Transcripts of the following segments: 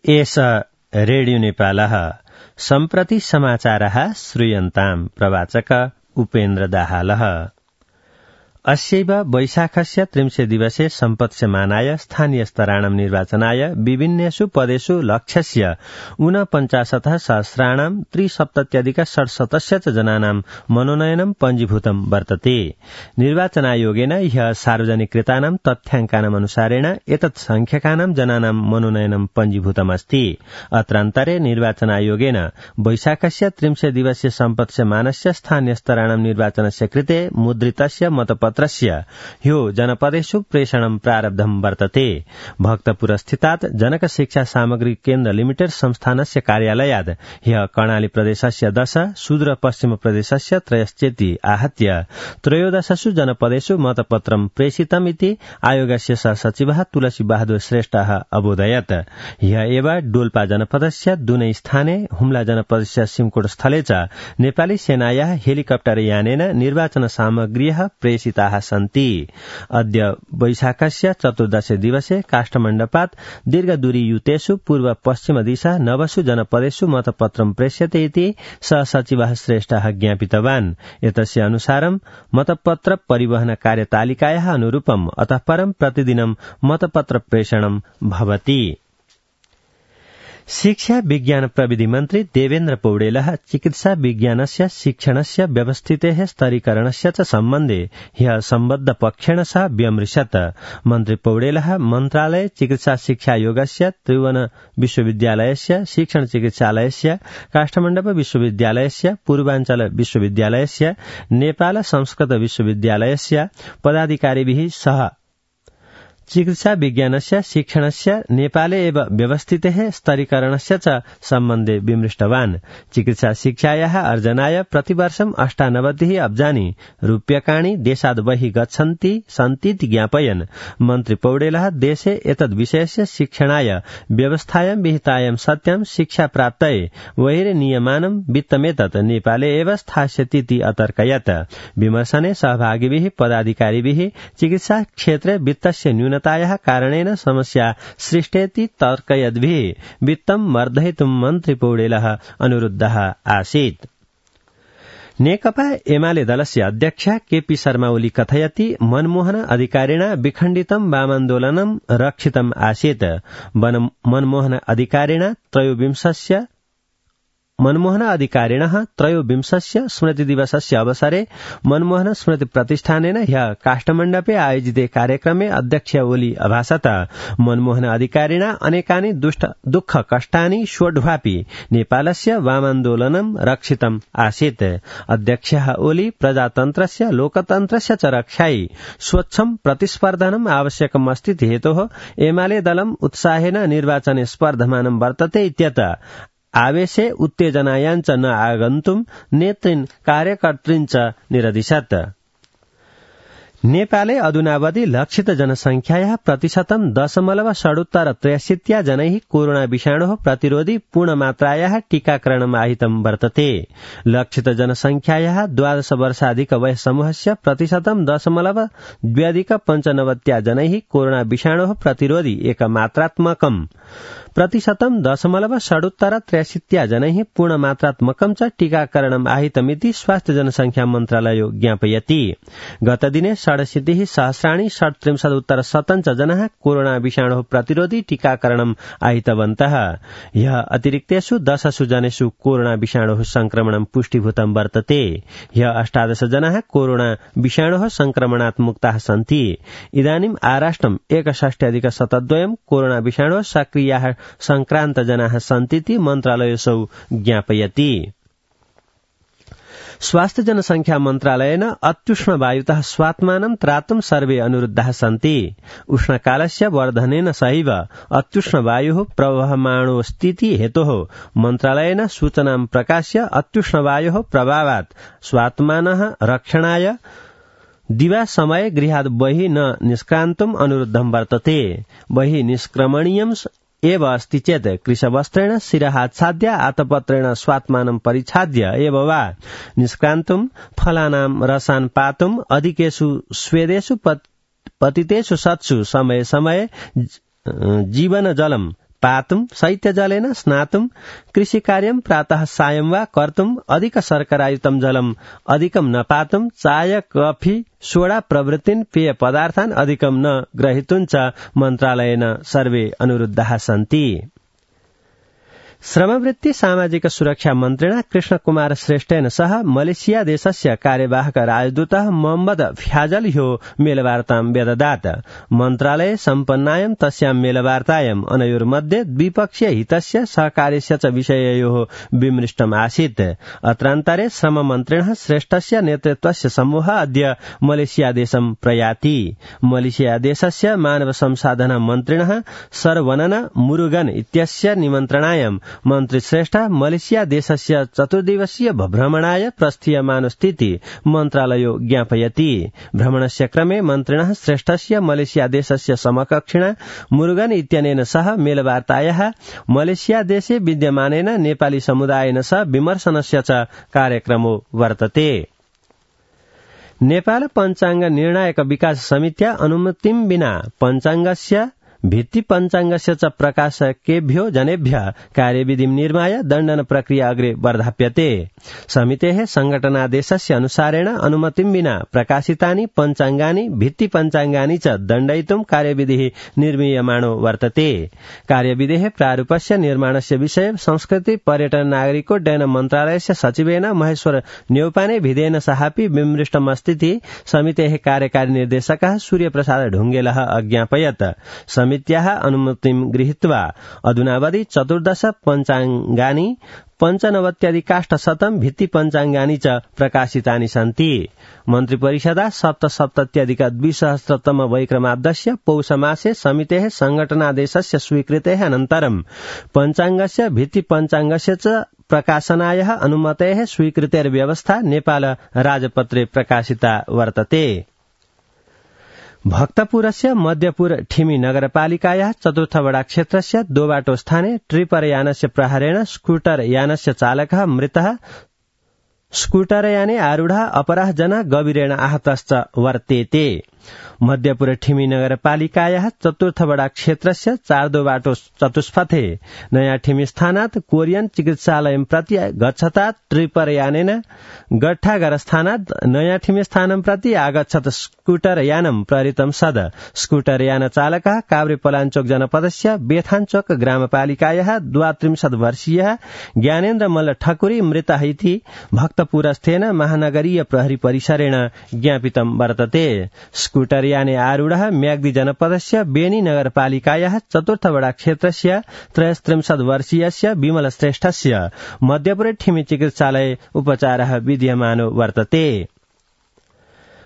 एष रेडियो नेपालः सम्प्रति समाचारः श्रूयन्ताम् प्रवाचक उपेन्द्र दाहालः। अस्यैव वैशाखस्य 30 दिवसे सम्पत्स्यमानाय स्थानीय स्तराणां निर्वाचनाय विभिन्नेषु पदेषु लक्ष्यस्य 49 सहस्राणां 370 च जनानां मनोनयनं पञ्जीभूतं वर्तते। निर्वाचनायोगेन ह्यः सार्वजनिकृतानां तथ्याङ्कानाम् अनुसारेण एतत् संख्यकानां जनानां मनोनयनं पञ्जीभूतमस्ति। अत्रान्तरे निर्वाचनायोगेन वैशाखस्य 30 दिवसे सम्पत्स्यमानस्य स्थानीय स्तराणां निर्वाचनस्य कृते मुद्रितस्य मतपत्रस्य ह्यो जनपदेषु प्रेषणं प्रारब्धं वर्तते। भक्तपुरस्थितात् जनक शिक्षा सामग्री केन्द्र लिमिटेड संस्थानस्य कार्यालयात् ह्यः कर्णाली प्रदेशस्य 10, सुदूर पश्चिम प्रदेशस्य 3 आहत्य 13 जनपदेषु मतपत्रं प्रेषितम् इति आयोगस्य सहसचिवः तुलसी बहादुर श्रेष्ठः अबोधयत्। ह्यः एव डोल्पा जनपदस्य दुनै स्थाने, हुम्ला जनपदस्य सिमकोट स्थले च नेपाली सेनायाः हेलिकप्टर यानेन निर्वाचन सामग्र्यः प्रेषिताः सन्ति। अद्य वैशाखस्य 14 दिवसे काष्ठमण्डपात् दीर्घदूरीयुतेषु पूर्व पश्चिम दिशा 9 जनपदेषु मतपत्रं प्रेष्यते इति सहसचिवः श्रेष्ठः ज्ञापितवान्। एतस्य अनुसारं मतपत्र परिवहन कार्यतालिकायाः अनुरूपम् अतः परं प्रतिदिनं मतपत्र प्रेषणं भवति। शिक्षा विज्ञान प्रविधि मन्त्री देवेन्द्र पौडेलः चिकित्सा विज्ञानस्य शिक्षणस्य व्यवस्थितेः स्तरीकरणस्य च सम्बन्धे ह्यः सम्बद्ध पक्षेण सह व्यमृशत्। मन्त्री पौडेलः मन्त्रालये चिकित्सा शिक्षायोगस्य, त्रिभुवन विश्वविद्यालयस्य, शिक्षण चिकित्सालयस्य, काष्ठमण्डप विश्वविद्यालयस्य, पूर्वाञ्चल विश्वविद्यालयस्य, नेपाल संस्कृत विश्वविद्यालयस्य पदाधिकारिभिः सह चिकित्सा विज्ञानस्य शिक्षणस्य नेपाले एव व्यवस्थितेः स्तरीकरणस्य च सम्बन्धे विमृष्टवान्। चिकित्सा शिक्षायाः अर्जनाय प्रतिवर्षं 98 अब्जानि रूप्यकाणि देशाद् बहिः गच्छन्ति सन्तीति ज्ञापयन् मन्त्री पौडेलः देशे एतद् विषयस्य शिक्षणाय व्यवस्थायां विहितायां सत्यां शिक्षा प्राप्तये बहिर्नियमानं वित्तमेतत् नेपाले एव स्थास्यतीति अतर्कयत्। विमर्शने सहभागिभिः पदाधिकारिभिः चिकित्सा क्षेत्रे वित्तस्य न्यूनतायाः कारणेन समस्या सृष्टेति तर्कयद्भिः वित्तं वर्धयितुं मन्त्री पौडेलः अनुरुद्धः आसीत्। नेकपा एमाले दलस्य अध्यक्ष केपी शर्मा ओली कथयति मनमोहन अधिकारिणा विखण्डितं वामान्दोलनं रक्षितम् आसीत्। मनमोहन अधिकारिणः त्रयोविंशस्य स्मृतिदिवसस्य अवसरे मनमोहन स्मृति प्रतिष्ठानेन ह्यः काष्ठमण्डपे आयोजिते कार्यक्रमे अध्यक्ष ओली अभाषत। मनमोहन अधिकारिणा अनेकानि दुःख कष्टानि सोढ्वापि नेपालस्य वामान्दोलनं रक्षितम् आसीत्। अध्यक्षः ओली प्रजातन्त्रस्य लोकतन्त्रस्य च रक्षायै स्वच्छं प्रतिस्पर्धनम् आवश्यकम् अस्ति हेतोः एमाले दलम् उत्साहेन निर्वाचने स्पर्धमानं वर्तते इत्यतः आवेशे उत्तेजनायाञ्च न आगन्तुं नेतृन् कार्यकर्तॄन् च निरदिशत्। नेपाले अधुनावधि लक्षित जनसंख्यायाः 0.63% जनैः कोरोना विषाणोः प्रतिरोधी पूर्णमात्रायाः टीकाकरणम् आहितं वर्तते। लक्षित जनसंख्यायाः 12 वर्षाधिक वयसमूहस्य 0.295% जनैः कोरोना विषाणोः प्रतिरोधी एकमात्रात्मकम् 0.63% जनैः पूर्णमात्रात्मकं च टीकाकरणम् आहितमिति स्वास्थ्य जनसंख्या मन्त्रालयो ज्ञापयति। गतदिने 67,037 जनाः कोरोना विषाणोः प्रतिरोधी टीकाकरणम् आहितवन्तः। ह्यः अतिरिक्तेषु 10 जनेषु कोरोना विषाणोः संक्रमणं पुष्टिभूतं वर्तते। ह्यः 18 जनाः कोरोना विषाणोः संक्रमणात् मुक्ताः सन्ति। इदानीम् आराष्ट्रम् 61,072 कोरोना विषाणोः सक्रियाः संक्रान्त जनाः सन्तीति मन्त्रालयोऽसौ ज्ञापयति। स्वास्थ्य जनसंख्या मन्त्रालयेन अत्युष्ण वायुतः स्वात्मानं त्रातुं सर्वे अनुरुद्धाः सन्ति। उष्णकालस्य वर्धनेन सहैव अत्युष्ण वायुः प्रवहमाणोऽस्तीति हेतोः मन्त्रालयेन सूचनां प्रकाश्य अत्युष्ण वायोः प्रभावात् स्वात्मानः रक्षणाय दिवा समये गृहात् बहिः न निष्क्रान्तुम् अनुरुद्धं वर्तते। बहिः निष्क्रमणीयम् एव अस्ति चेत् कृशवस्त्रेण शिरहाच्छाद्य आतपत्रेण स्वात्मानं परिच्छाद्य एव वा निष्क्रान्तुं फलानां रसान् पातुम् अधिकेषु स्वेदेषु पतितेषु सत्सु समये समये जीवन जलम् पातुं शैत्यजलेन स्नातुं कृषिकार्यं प्रातः सायं वा कर्तुं अधिक शर्करायुतं जलम् अधिकं न पातुं चाय कफी सोडा प्रभृतीन् पेय पदार्थान् अधिकं न ग्रहीतुं च मन्त्रालयेन सर्वे अनुरुद्धाः सन्ति। श्रमवृत्ति सामाजिक सुरक्षा मन्त्रिणा कृष्णकुमार श्रेष्ठेन सह मलेशिया देशस्य कार्यवाहक राजदूतः मोहम्मद फ्याजल ह्यो मेलवार्तां व्यददात्। मन्त्रालये सम्पन्नायां तस्यां मेलवार्तायाम् अनयोर्मध्ये द्विपक्षीय हितस्य सहकार्यस्य च विषययोः विमृष्टम् आसीत्। अत्रान्तरे श्रम मन्त्रिणः श्रेष्ठस्य नेतृत्वस्य समूहः अद्य मलेशिया देशं प्रयाति। मलेशिया देशस्य मानव संसाधन मन्त्रिणः सरवनन मुरुगन इत्यस्य निमन्त्रणायां मन्त्री श्रेष्ठ मलेशिया देशस्य 4 दिवसीय भ्रमणाय प्रस्थीयमानस्थिति मन्त्रालयो ज्ञापयति। भ्रमणस्य क्रमे मन्त्रिणः श्रेष्ठस्य मलेशिया देशस्य समकक्षिणा मुरुगन इत्यनेन सह मेलवार्तायाः मलेशिया देशे विद्यमानेन नेपाली समुदायेन सह विमर्शनस्य च कार्यक्रमो वर्तते। नेपाल पञ्चाङ्ग निर्णायक विकास समित्या अनुमतिं विना पञ्चाङ्गस्य भित्ति पञ्चाङ्गस्य च प्रकाशकेभ्यो जनेभ्यः कार्यविधिं निर्माय दण्डन प्रक्रिया अग्रे वर्धाप्यते। समितेः संघटनादेशस्य अनुसारेण अनुमतिं विना प्रकाशितानि पञ्चाङ्गानि भित्ति पञ्चाङ्गानि च दण्डयितुं कार्यविधिः निर्मीयमाणो वर्तते। कार्यविधेः प्रारूपस्य निर्माणस्य विषये संस्कृति पर्यटन नागरिकोड्डयन मन्त्रालयस्य सचिवेन महेश्वर न्यौपाने भिदेन सहापि विमृष्टमस्तीति समितेः कार्यकारी निर्देशकः सूर्यप्रसाद ढुङ्गेलः अज्ञापयत्। समित्याः अनुमतिं गृहीत्वा अधुनावधि 14 पञ्चाङ्गानि 95% भित्ति पञ्चाङ्गानि च प्रकाशितानि सन्ति। मन्त्रिपरिषदा 77-2000 वैक्रमाब्दस्य पौषमासे समितेः संघटनादेशस्य स्वीकृतेः अनन्तरं पञ्चाङ्गस्य भित्ति पञ्चाङ्गस्य च प्रकाशनायाः अनुमतेः स्वीकृतेर्व्यवस्था नेपाल राजपत्रे प्रकाशिता वर्तते। भक्तपुरस्य मध्यपुर ठिमी नगरपालिकायाः 4थ वडा क्षेत्रस्य दोबाटो स्थाने ट्रिपर यानस्य प्रहारेण स्कूटर यानस्य चालकः मृतः स्कूटर याने आरूढः अपरः जनः गभीरेण आहतश्च वर्तेते। मध्यपुर ठिमी नगरपालिकायाः 4th वडा क्षेत्रस्य 4 दोबाटो चतुष्पथे नयाँ ठिमी स्थानात् कोरियन चिकित्सालयं प्रति गच्छता ट्रिपर यानेन गट्ठागर स्थानात् नयाँ ठिमी स्थानं प्रति आगच्छत् स्कूटर यानं प्रहृतं सद स्कूटर यान चालकः काभ्रेपलाञ्चोक जनपदस्य बेथाञ्चोक ग्रामपालिकायाः 32 वर्षीयः ज्ञानेन्द्र मल्ल ठकुरी मृतः इति भक्तपुरस्थेन महानगरीय प्रहरी परिसरेण ज्ञापितं वर्तते। स्कूटर याने आरूढः म्याग्दी जनपदस्य बेनी नगरपालिकायाः 4th वडा क्षेत्रस्य 33 वर्षीयस्य विमल श्रेष्ठस्य मध्यपुर ठिमी चिकित्सालये उपचारः विद्यमानो वर्तते।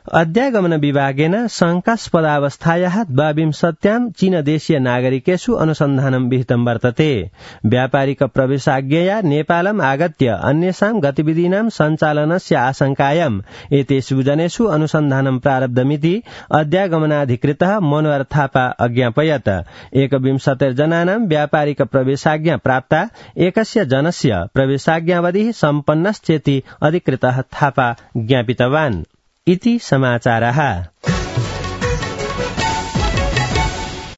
अध्यागमन विभागेन शङ्कास्पदावस्थायाः 22 चीनदेशीय नागरिकेषु अनुसन्धानं विहितं वर्तते। व्यापारिक प्रवेशाज्ञया नेपालम् आगत्य अन्येषां गतिविधीनां सञ्चालनस्य आशंकायाम् एतेषु जनेषु अनुसन्धानं प्रारब्धमिति अध्यागमनाधिकृतः मनोहर थापा अज्ञापयत्। 21 जनानां व्यापारिक प्रवेशाज्ञा प्राप्ता, एकस्य जनस्य प्रवेशाज्ञावधिः सम्पन्नश्चेति अधिकृतः थापा ज्ञापितवान्। इति समाचारः।